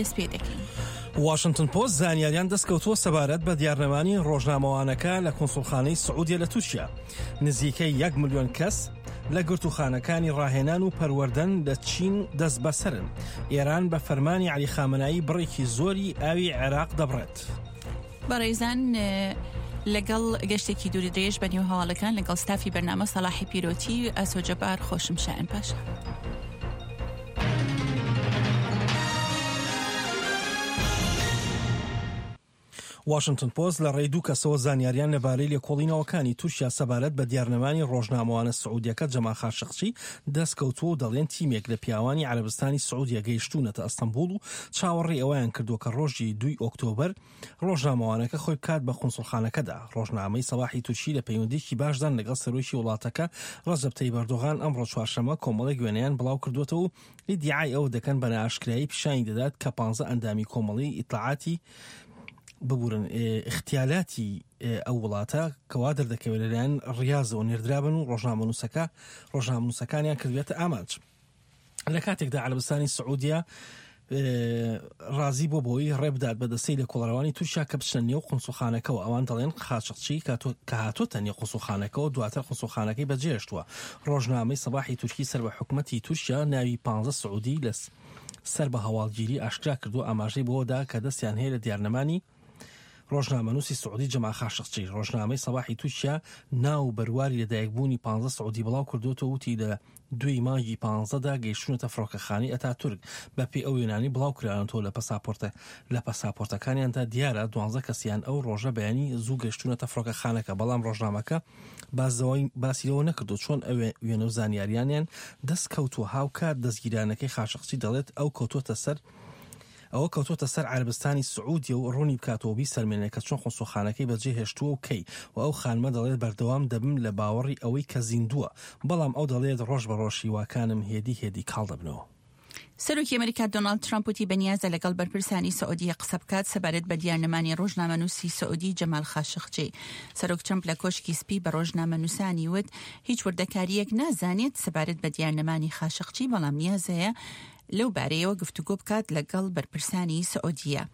دەست پێ دەکەین. واشنتن پۆست زانیاریان دەستکەوتووە سەبارەت بە دیارنەمانی ڕۆژنامەوانەکە لە کونسوڵخانەی سعودیە لە تورکیا. نزیکەی یەک ملیۆن کەس لە گرتووخانەکانی ڕاهێنان و پەروەردەن لە چین دەستبەسەرن. ئێران بە فەرمانی عەلی خامنەیی بڕێکی زۆری ئاوی عێراق دەبڕێت. بەڕێزان لەگەڵ گەشتێکی دوور درێژ بە نێو هەواڵەکان لەگەڵ ستافی بەرنامە سەڵاحی پیرۆتی ئاسۆ جەبار خۆشم شایان پاشا. واشنتن پۆست لە ڕێی دوو کەسەوە زانیاریان لەبارەی لێکۆڵینەوەکانی تورکیا سەبارەت بە دیارنەمانی ڕۆژنامەوانە سعودیەکە جەمال خاشقچی دەستکەوتووە و دەڵێن تیمێک لە پیاوانی عەرەبستانی سعودیە گەیشتوونەتە ئەستەنبوڵ و چاوەڕێی ئەوەیان کردووە کە ڕۆژی دووی ئۆکتۆبەر ڕۆژنامەوانەکە خۆی بکات بە قونسوڵخانەکەدا. ڕۆژنامەی سەباحی تورکی لە پەیوەندییەکی باشدان لەگەڵ سەرۆکی وڵاتەکە ڕەجەب تەیب ئەردۆغان ئەمڕۆ چوارشەممە کۆمەڵێک وێنەیان بڵاوکردووەتەوە و ئیدیعای ئەوە دەکەن بە نائاشکرایی پیشانی دەدات کە پانزە ئەندامی کۆمەڵی ئیتلاعاتی ببورن ئیختیالاتی ئەو وڵاتە کە وا دەردەکەوێت لەلایەن ڕیازەوە نێردرابن و ڕۆژنامەنووسەکە ڕۆژنامەنووسەکانیان کردوێتە ئامانج. لە کاتێکدا عەرەبستانی سعودیە ڕازی بۆ بۆی ڕێبدات بە دەستەی لێکۆڵەرەوانی تورکیا کە بچنە نێو قونسوڵخانەکەوە ئەوان دەڵێن قاچاخچی کە هاتۆتە نێو قونسوڵخانەکەوە دواتر قونسوڵخانەکەی بەجێهێشتووە ڕۆژنامەی سەباحی تورکی سەر بە حکومەتی تورکیا ناوی 15 سعودی لە سەر بە هەواڵگیری ئاشکرا کردووە ئاماژەی بەوەدا کە دەستیان هەیە لە دیارنەمانی ڕۆژنامەنووسی سعودی جەمال خاشقچی ڕۆژنامەی سەباحی تورکیا ناو و بەرواری لەدایکبوونی پانزە سعودی بڵاو کردووەتەوە وتی لە دووی مانگی پانزەدا گەیشتوونەتە فڕۆکەخانەی ئەتاتورک بەپێی ئەو وێنانەی بڵاو کراونەتەوە لە پەساپۆرتە لە پەساپۆرتەکانیاندا دیارە دوانزە کەسیان ئەو ڕۆژە بەیانی زوو گەیشتوونەتە فڕۆکەخانەکە بەڵام ڕۆژنامەکە باسی لەوە نەکردووە چۆن ئەو وێنە و زانیاریانیان دەست کەوتووە هاوکات دەستگیرانەکەی خاشقچی دەڵێت ئەو کەوتووەتە سەر ئەوە کەوتۆتە سەر عەرەبستانی سعودیە و ڕوونی بکاتەوە و بیسەلمێنێ کە چۆن قونسوڵخانەکەی بەجێ هێشتووە و کەی و ئەو خانمە دەڵێت بەردەوام دەبم لە باوەڕی ئەوەی کە زیندووە بەڵام ئەو دەڵێت ڕۆژ بە ڕۆژ هیواکانم هێدی هێدی کاڵ دەبنەوە. سەرۆکی ئەمریکا دۆناڵد ترەمپ وتی بەنیازە لەگەڵ بەرپرسانی سعودیە قسە بکات سەبارەت بە دیارنەمانی ڕۆژنامەنووسی سعودی جەمال خاشقجی. سەرۆک ترەمپ لە کۆشکی سپی بە ڕۆژنامەنووسانی وت هیچ وردەکارییەک نازانێت سەبارەت بە دیارنەمانی خاشقجی بەڵام نیازەیە لەو بارەیەوە گفتوگۆ بکات لەگەڵ بەرپرسانی سعودیە.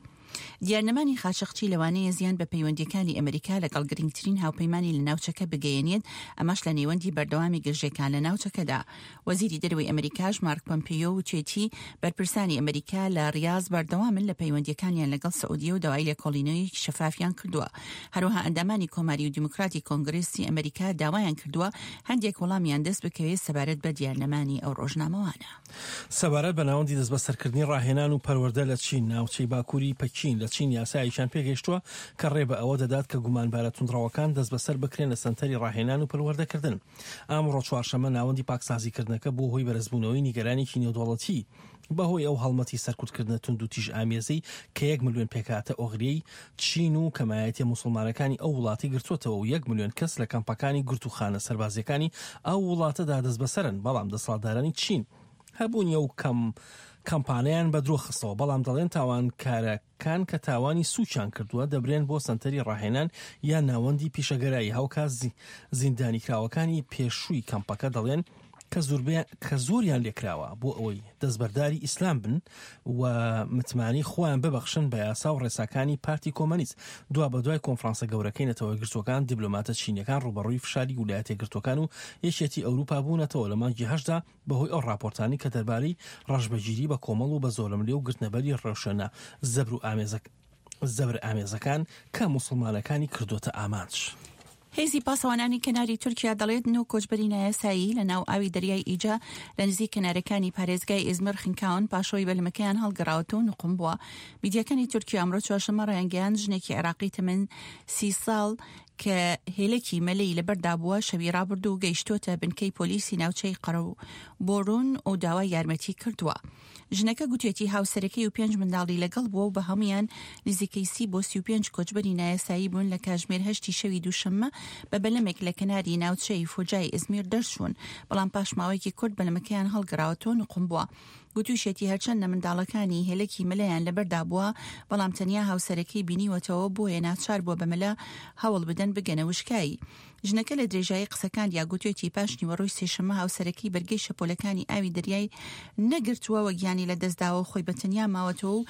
دیارنەمانی خاشقچی لەوانەیە زیان بە پەیوەندییەکانی ئەمریکا لەگەڵ گرنگترین هاوپەیمانی لە ناوچەکە بگەیەنێت، ئەمەش لە نێوەندی بەردەوامی گرژییەکان لە ناوچەکەدا. وەزیری دەرەوەی ئەمریکاش مارک پۆمپیۆ وتوێتی بەرپرسانی ئەمریکا لە ڕیاز بەردەوامن لە پەیوەندییەکانیان لەگەڵ سعودیە و داوای لێکۆڵینەوەیەکی شەفافیان کردووە. هەروەها ئەندامانی کۆماری و دیموکراتی کۆنگرێسی ئەمریکا داوایان کردووە هەندێک وەڵامیان دەست بکەوێت سەبارەت بە دیارنەمانی ئەو ڕۆژنامەوانە. سەبارەت بە ناوەندی دەستبەسەرکردنی ڕاهێنان و پەروەردە لە چین، ناوچەی باکووری پەکین لە چین یاسایەکیان پێگەیشتووە کە ڕێ بە ئەوە دەدات کە گومانبارە توندڕەوەکان دەستبەسەر بکرێن لە سەنتەری ڕاهێنان و پەروەردەکردن. ئەمڕۆ چوارشەممە ناوەندی پاکسازیکردنەکە بووە هۆی بەرزبوونەوەی نیگەرانیی نێودەوڵەتی بەهۆی ئەو هەڵمەتی سەرکوتکردنە توندوتیژئامێزەی کە یەک ملیۆن پێکهاتە ئۆغریەی چین و کەمایەتیە موسڵمانەکانی ئەو وڵاتەی گرتووەتەوە و یەک ملیۆن کەس لە کەمپەکانی گرتووخانە سەربازییەکانی ئەو وڵاتەدا دەستبەسەرن، بەڵام دەسەڵاتدارانی چین هەبوونی ئەو کەم کەمپانەیان بە درۆ خستەوە، بەڵام دەڵێن تاوانکارەکان کە تاوانی سووکیان کردووە دەبرێن بۆ سەنتەری ڕاهێنان یان ناوەندی پیشەگەرایی، هاوکات زیندانیکراوەکانی پێشووی کەمپەکە دەڵێن کە زۆریان لێکراوە بۆ ئەوەی دەستبەرداری ئیسلام بن و متمانەی خۆیان ببەخشن بە یاسا و ڕێساکانی پارتی کۆمەنیست. دوابەدوای کۆنفرانسە گەورەکەی نەتەوە یەکگرتووەکان، دیبلۆماتە چینییەکان ڕووبەڕووی فشاری ولایەتە یەکگرتووەکان و یەکێتی ئەوروپا بوونەتەوە لە مانگی هەشتدا بەهۆی ئەو ڕاپۆرتانەی کە دەربارەی ڕەشبگیری بە کۆمەڵ و بە زۆرەملێ و گرتنەبەری ڕێوشوێنە زەبرئامێزەکان کە موسڵمانەکانی کردۆتە ئامانج. هێزی پاسەوانانی کەناری تورکیا دەڵێت نۆ کۆچبەری نایاسایی لە ناو ئاوی دەریای ئیجە لە نزیک کەنارەکانی پارێزگای ئیزمیر خنکاون پاشەوەی بەلەمەکەیان هەڵگەڕاوەتەوە و نوقم بووە. میدیاکانی تورکیا ئەمڕۆ چوارشەممە ڕایانگەیاند ژنێکی عێراقی تەمەن سی ساڵ کە هێلەکی مەلەی لەبەردا بووە شەوی ڕابردوو گەیشتۆتە بنکەی پۆلیسی ناوچەی قەرەبۆرون و داوای یارمەتی کردووە. ژنەکە گوتیەتی هاوسەرەکەی و پێنج منداڵی لەگەڵ بووە و بە هەموویان نزیکەی سی بۆ 35 کۆچبەری نایاسایی بوون لە کاژمێر هەشتی شەوی دووشەممە بە بەلەمێک لە کەناری ناوچەی فوجای ئیزمیر دەرچوون، بەڵام پاش ماوەیەکی کورت بەلەمەکەیان هەڵگەڕاوەتەوە نوقم بووە. گوتووشیەتی هەرچەندە منداڵەکانی هێلەکی مەلەیان لەبەردا بووە، بەڵام تەنیا هاوسەرەکەی بینیوەتەوە بۆیە ناچار بووە بە مەلە هەوڵ بدەن بگەنە وشکایی. ژنەکە لە درێژایی قسەکاندا گوتوێتی پاش نیوەڕۆی سێشەممە هاوسەرەکەی بەرگەی شەپۆلەکانی ئاوی دەریای نەگرتووە و گیانی لەدەستداوە و خۆی بە تەنیا ماوەتەوە و.